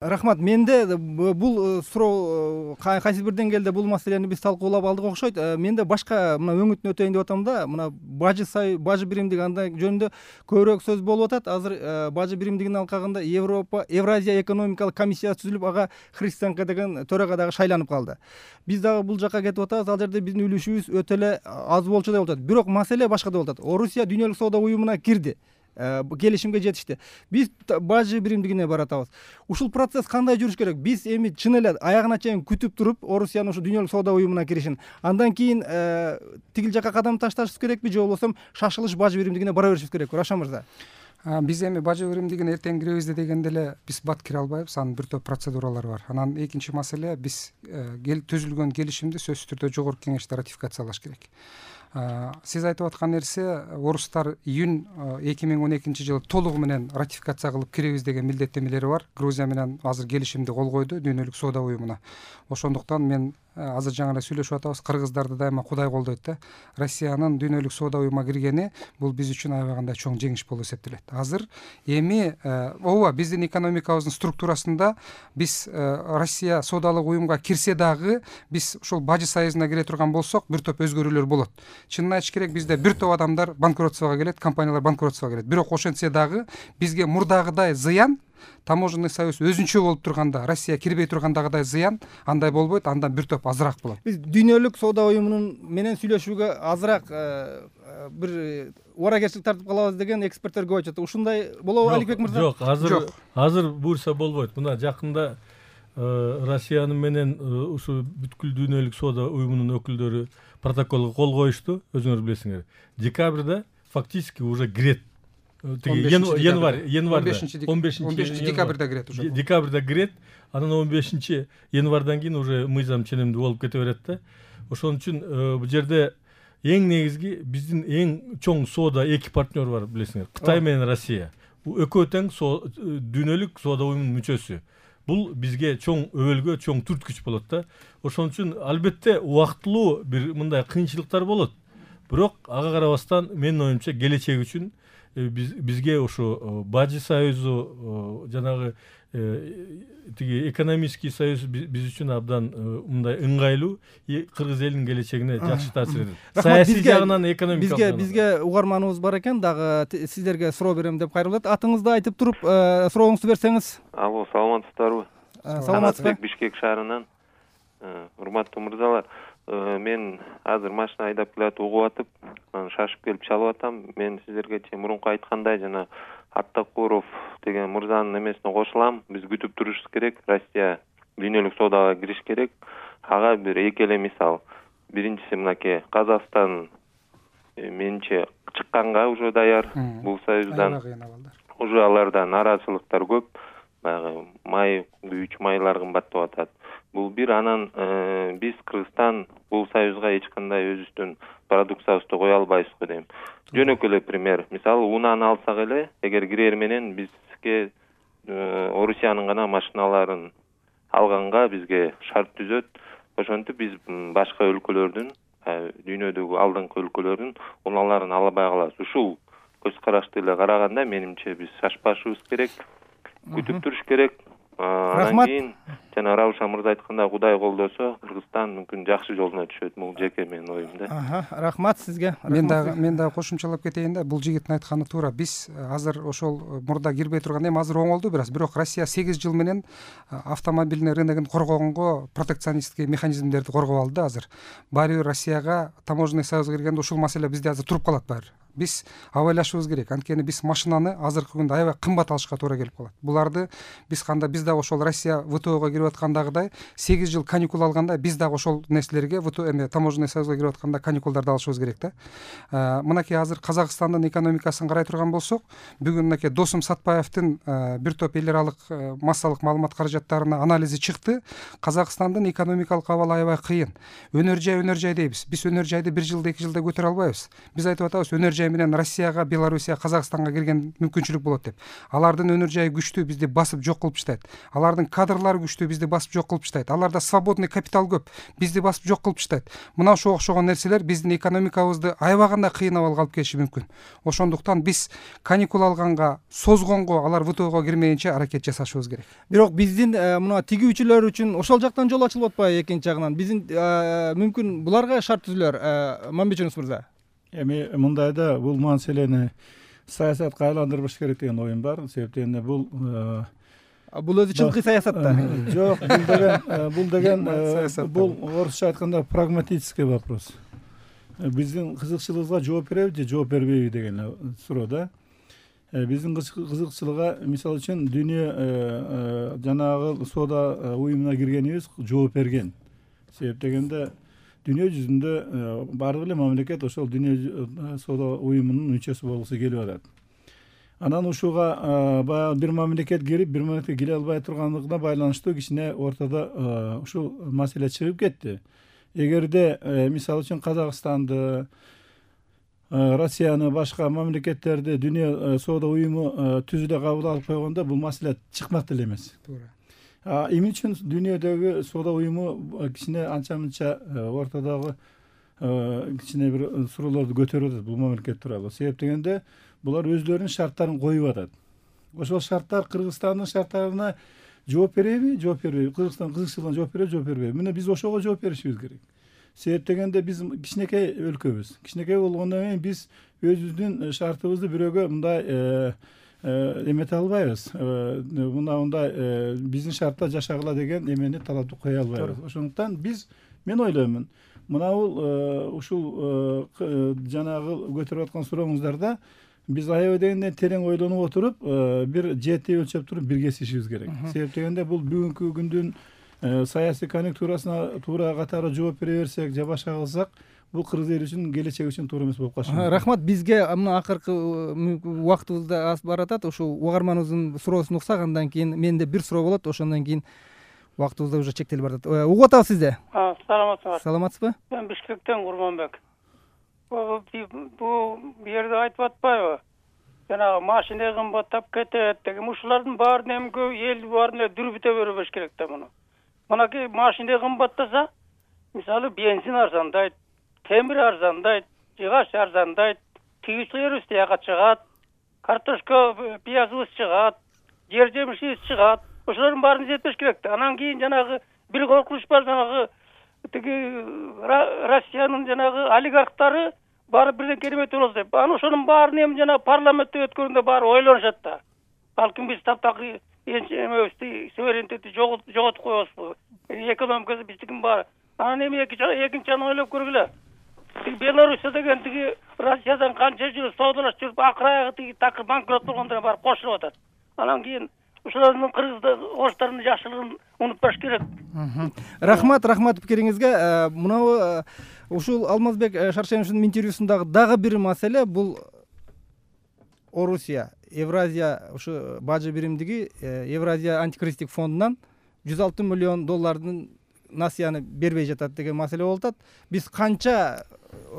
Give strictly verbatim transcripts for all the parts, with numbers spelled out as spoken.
Рахмат. Менде бул суроо кайсы бир деңгээлде бул маселени биз талкуулап алдык окшойт. Менде башка мына өңүтүн өтөйүн деп атам да, мына бажы сай бажы биримдиги андай жөнүндө көбүрөөк сөз болуп атат. Азыр бажы биримдигинин алкагында Европа Евразия экономикалык комиссиясы түзүлүп, ага Христенко деген төрага дагы шайланып калды. Биз дагы бул жакка кетип атабыз. Ал жерде биздин үлүшүбүз өтө эле аз болчу деп атат. Бирок маселе башкада болуп атат. Орусия Дүйнөлүк соода уюмуна кирди. Келишимге жетишти. Биз бажы биримдигине баратабыз. Ушул процесс кандай жүрүш керек? Биз эми чын эле аягына чейин күтүп туруп, Орусиянын ушу Дүйнөлүк соода уюмуна киришин, андан кийин тигил жакка кадам ташташыбыз керекпи, же болбосо шашылыш бажы биримдигине бара беришибиз керекпи? Раша мырза. Биз эми бажы биримдигине эртең киребиз дегенде эле биз бат кире албайбыз. Анын бир топ процедуралары бар. Анан экинчи маселе, биз түзүлгөн келишимди сөзсүз түрдө жогорку кеңеште ратификациялаш керек. Сиз айтып аткан нерсе, орустар июнь эки миң он экинчи жылы толугу менен ратификация кылып киребиз деген милдеттенмелери бар. Грузия менен азыр келишимди кол койду Дүйнөлүк соода уюмуна. Ошондуктан мен азыр жаңы эле сүйлөшүп атабыз, кыргыздарды дайыма Кудай колдойт да. Россиянын Дүйнөлүк соода уюмуна киргени бул биз үчүн аябагандай чоң жеңиш болуп эсептелет. Азыр эми ооба биздин экономикабыздын структурасында биз Россия соодалык уюмга кирсе дагы биз ушул бажы союзуна кире турган болсок, бир топ өзгөрүүлөр болот. Чынын айтыш керек, бизде бир топ адамдар банкротствого келет, компаниялар банкротствого келет. Бирок ошентсе дагы бизге мурдагыдай зыян, таможенный союз өзүнчө болуп турганда, Россия кирбей тургандагыдай зыян андай болбойт, андан бир топ азыраак болот. Биз Дүйнөлүк соода уюмунун менен сүйлөшүүгө азыраак бир ооракерчилик тартып калабыз деген эксперттер көп айтат. Ушундай болобу, Аликбек мырза? Жок, азыр азыр буюрса болбойт. Мына жакында Россиянын менен ушу бүткүл Дүйнөлүк соода уюмунун өкүлдөрү протоколго кол коюшту, өзүңөр билесиңер. Декабрда фактически уже кирет. Январь, январда, он бешинчи декабрда кирет уже. Декабрда кирет, анан он бешинчи январдан кийин уже мыйзам ченемдүү болуп кете берет да. Ошон үчүн бул жерде эң негизги биздин эң чоң соода эки партнер бар, билесиңер. Кытай менен Россия. Бул экөө тең Дүйнөлүк соода уюмунун мүчөсү. Бул бизге чоң өбөлгө, чоң түрткүч болот да. Ошон үчүн албетте убактылуу бир мындай кыйынчылыктар болот. Бирок ага карабастан менин оюмча келечек үчүн биз бизге ошо бажы союзу, жанагы тиги экономический союз биз үчүн абдан мындай ыңгайлуу, кыргыз элинин келечегине жакшы таасир этет. Саясий жагынан, экономикалык жагынан. Бизге бизге угарманыбыз бар экен, дагы сиздерге суроо берем деп кайрылат. Атыңызды айтып туруп, сурооңузду берсеңиз. Алло, саламатсыздарбы? Саламатсызбы? Бишкек шаарынан. Урматтуу мырзалар, мен азыр машина айдап келатып угуп атып, шашып келип чалып атам. Мен сиздерге мурунку айткандай, жана Аттакуров деген мырзанын эмесине кошулам. Биз күтүп турушубуз керек. Россия Дүйнөлүк соодага кириш керек. Ага бир эки эле мисал. Биринчиси мынакей, Казакстан менче чыкканга уже даяр бул союздан. Уже алардан наразылыктар көп. Баягы май, күйүүчү майлар кымбаттап атат. Бул бир, анан биз Кыргызстан бул союзга эч кандай өзүбүздүн продукциябызды кое албайбыз го дейм. Жөнөкөй эле пример. Мисалы, унаны алсак эле, эгер кирер менен бизге Орусиянын гана машиналарын алганга бизге шарт түзөт. Ошентип биз башка өлкөлөрдүн, дүйнөдөгү алдыңкы өлкөлөрдүн унааларын албай калабыз. Ушул көз карашты эле караганда менимче биз шашпашыбыз керек, күтүп туруш керек. Анан кийин жана Раушан мырза айткандай, Кудай колдосо, Кыргызстан мүмкүн жакшы жолуна түшөт. Бул жеке менин оюм да. Рахмат сизге. Мен дагы мен дагы кошумчалап кетейин да. Бул жигиттин айтканы туура. Биз азыр ошол мурда кирбей турган, эми азыр оңолду бир аз. Бирок Россия сегиз жыл менен автомобильный рыногун коргогонго протекционисттик механизмдерди коргоп алды азыр. Баары бир Россияга таможенный союзга киргенде ушул маселе бизде азыр туруп калат баары. Биз абайлашыбыз керек. Анткени биз машинаны азыркы күндө аябай кымбат алышка туура келип калат. Буларды биз кандай, биз дагы ошол Россия ВТОго кирип аткандагыдай сегиз жыл каникул алганда биз дагы ошол нерселерге ВТО эме таможенный союзга кирип атканда каникулдарды алышыбыз керек да. Мынакей азыр Казакстандын экономикасын карай турган болсок, бүгүн мынакей Досум Сатпаевдин бир топ эл аралык массалык маалымат каражаттарына анализи чыкты. Казакстандын экономикалык абалы аябай кыйын. Өнөр жай, өнөр жай дейбиз. Биз өнөр жайды бир жылда, эки жылда көтөрө албайбыз. Биз айтып атабыз, өнөр жай менен Россияга, Белоруссия, Казакстанга кирген мүмкүнчүлүк болот деп. Алардын өнөр жайы күчтүү, бизди басып жок кылып таштайт. Алардын кадрлары күчтүү, бизди басып жок кылып таштайт. Аларда свободный капитал көп, бизди басып жок кылып таштайт. Мына ошого окшогон нерселер биздин экономикабызды аябаганда кыйнап алып келиши мүмкүн. Ошондуктан биз каникул алганга, созгонго, алар ВТОго кирмейинче аракет жасашыбыз керек. Бирок биздин мына тигүүчүлөр үчүн ошол жактан жол ачылып атпайбы экинчи жагынан? Биздин мүмкүн буларга шарт түзүлөр, Мамбет Жунус мырза. Эми мындайда бул маселени саясатка айландырбаш керек деген оюм бар. Себептен бул бул өзү чындык саясат да. Жок, бул деген бул деген бул орусча айтканда прагматический вопрос. Биздин кызыкчылыгыбызга жооп береби же жооп бербейби деген суроо да. Биздин кызыкчылыгга мисалы үчүн дүйнө жанагы соода уюмуна киргенибиз жооп берген. Себеп дегенде дүйнө жүзүндө баардык эле мамлекет ошол дүйнө соода уюмунун мүчөсү болгусу келип атат. Анан ушуга баягы бир мамлекет кирип, бир мамлекет кире албай турганлыгына байланыштуу кичине ортодо ушул маселе чыгып кетти. Эгерде мисалы үчүн Казакстанды, Россияны, башка мамлекеттерди дүйнө соода уюму түзүлө кабыл алып койгондо бул маселе чыкмак деле эмес. Туура. Эмне үчүн дүйнөдөгү соода уюму кичине анча-мынча ортодогу кичине бир суроолорду көтөрүп атат бул мамлекет тууралуу. Себеп дегенде булар өздөрүнүн шарттарын коюп атат. Ошол шарттар Кыргызстандын шарттарына жооп береби, жооп бербейби? Кыргызстан кызыкчылыгына жооп береби, жооп бербейби? Мына биз ошого жооп беришибиз керек. Себеп дегенде биз кичинекей өлкөбүз. Кичинекей болгондон кийин биз өзүбүздүн шартыбызды бирөөгө мындай эмете албайбыз. Мына мындай биздин шартта жашагыла деген эмени талапты кое албайбыз. Ошондуктан биз мен ойлоймун, мына бул ушул жанагы көтөрүп аткан сурооңуздарда биз аябай дегенде терең ойлонуп отуруп, бир жети өлчөп туруп биргесишибиз керек. Себеп дегенде бул бүгүнкү күндүн саясий конъюнктурасына туура катары жооп бере берсек же башка кылсак, бул кыргыз эли үчүн келечек үчүн туура эмес болуп калышы мүмкүн. Рахмат, бизге мына акыркы убактыбыз да аз баратат. Ушул угарманыбыздын суроосун уксак, андан кийин менде бир суроо болот, ошондон кийин убактыбыз да уже чектелип баратат. Угуп атабыз сизди. Саламатсызбы? Саламатсызбы? Мен Бишкектен Курманбек. Бул бу жерде айтып атпайбы? Жанагы машина кымбаттап кетет деген. Ушулардын баарын эми эл баарын эле дүрбүтө бербеш керек да муну. Мынакей машина кымбаттаса, мисалы бензин арзандайт, темир арзандайт, жыгач арзандайт, тигүүчүлөрүбүз тияка чыгат, картошка, пиязыбыз чыгат, жер жемишибиз чыгат. Ошолордун баарын жетпеш керек да. Анан кийин жанагы бир коркунуч бар, жанагы тиги Россиянын жанагы олигархтары баары бирден керемет болот деп. Анан ошонун баарын эми жана парламентте өткөргөндө баары ойлонушат да. Балким биз таптакы эмебизди, суверенитетти жоготуп коебузбу? Экономикасы биздикин баары. Анан эми экинчи жагын ойлоп көргүлө. Тиги Белоруссия деген тиги Россиядан канча жыл соодалашып жүрүп, акыр аягы тиги такыр банкрот болгондор баары кошулуп атат. Анан кийин ошолордун кыргызды, орустардын жакшылыгын унутпаш керек. Рахмат, рахмат пикириңизге. Мына ушул Алмазбек Шаршеновичтин интервьюсундагы дагы бир маселе бул Орусия, Евразия ушу бажы биримдиги Евразия антикризистик фондунан жүз алты миллион доллардын насыяны бербей жатат деген маселе болуп атат. Биз канча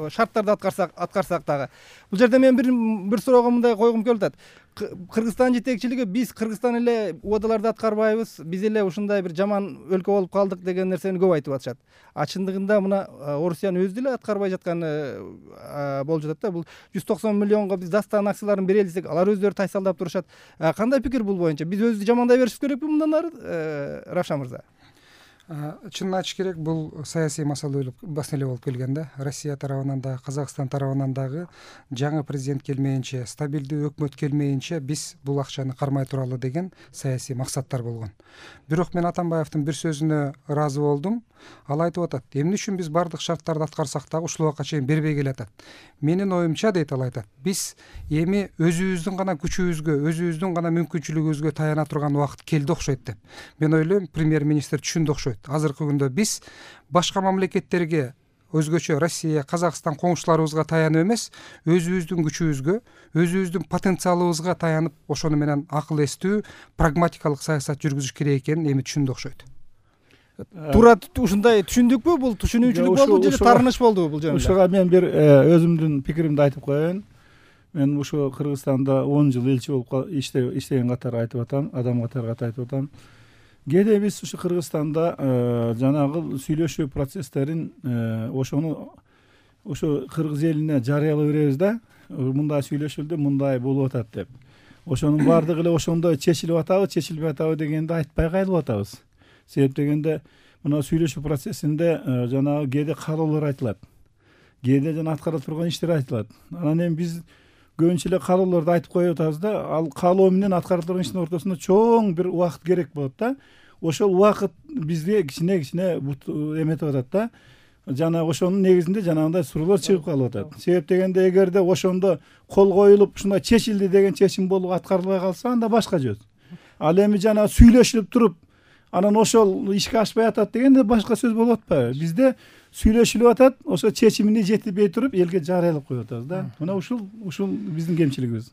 шарттарды аткарсак аткарсак дагы. Бул жерде мен бир бир суроого мындай койгум келип атат. Кыргызстан жетекчилиги биз Кыргызстан эле убадаларды аткарбайбыз, биз эле ушундай бир жаман өлкө болуп калдык деген нерсени көп айтып атышат. А чындыгында мына Орусиянын өзү деле аткарбай жатканы болуп жатат да. Бул жүз токсон миллионго биз Дастан акцияларын берели десек, алар өздөрү тайсалдап турушат. Кандай пикир бул боюнча? Биз өзүбүздү жамандай беришибиз керекпи мындан ары, Равшан мырза? Чынын айтыш керек, бул саясий маселе болуп келген да. Россия тарабынан да, Казакстан тарабынан дагы жаңы президент келмейинче, стабилдүү өкмөт келмейинче биз бул акчаны кармай туралы деген саясий максаттар болгон. Бирок мен Атамбаевдин бир сөзүнө ыраазы болдум. Ал айтып атат, эмне үчүн биз бардык шарттарды аткарсак дагы ушул убакка чейин бербей келатат. Менин оюмча, дейт, ал айтат, биз эми өзүбүздүн гана күчүбүзгө, өзүбүздүн гана мүмкүнчүлүгүбүзгө таяна турган убакыт келди окшойт деп. Мен ойлойм, премьер-министр түшүндү окшойт. Азыркы күндө биз башка мамлекеттерге, өзгөчө Россия, Казакстан коңшуларыбызга таянып эмес, өзүбүздүн күчүбүзгө, өзүбүздүн потенциалыбызга таянып, ошону менен акыл эстүү, прагматикалык саясат жүргүзүш керек экенин эми түшүндү окшойт. Туура ушундай түшүндүкпү? Бул түшүнүүчүлүк болду же тарыныш болду бул жөнүндө? Ушуга мен бир өзүмдүн пикиримди айтып коеюн. мен ошо Кыргызстанда он жыл элчи болуп иштеген катары айтып атам, адам катары айтып атам. Кээде биз ушу Кыргызстанда жанагы сүйлөшүү процесстерин ошону ошо кыргыз элине жарыялай беребиз да, мындай сүйлөшүлдү, мындай болуп атат деп. Ошонун баардыгы эле ошондой чечилип атабы, чечилбей атабы дегенди айтпай кайрылып атабыз. Себеп дегенде мына сүйлөшүү процессинде жанагы кээде каалоолор айтылат. Кээде жана аткара турган иштер айтылат. Анан эми биз көбүнчө эле каалоолорду айтып коюп атабыз да, ал каалоо менен аткара турган иштин ортосунда чоң бир убакыт керек болот да. Ошол убакыт бизге кичине кичине эметип атат да. Жана ошонун негизинде жанагындай суроолор чыгып калып атат. Себеп дегенде эгерде ошондо кол коюлуп ушундай чечилди деген чечим болуп аткарылбай калса, анда башка жөз. Ал эми жана сүйлөшүлүп туруп, анан ошол ишке ашпай атат дегенде башка сөз болуп атпайбы? Бизде сүйлөшүлүп атат, ошо чечимине жетилбей туруп элге жарыялап коюп атабыз да. Мына ушул ушул биздин кемчилигибиз.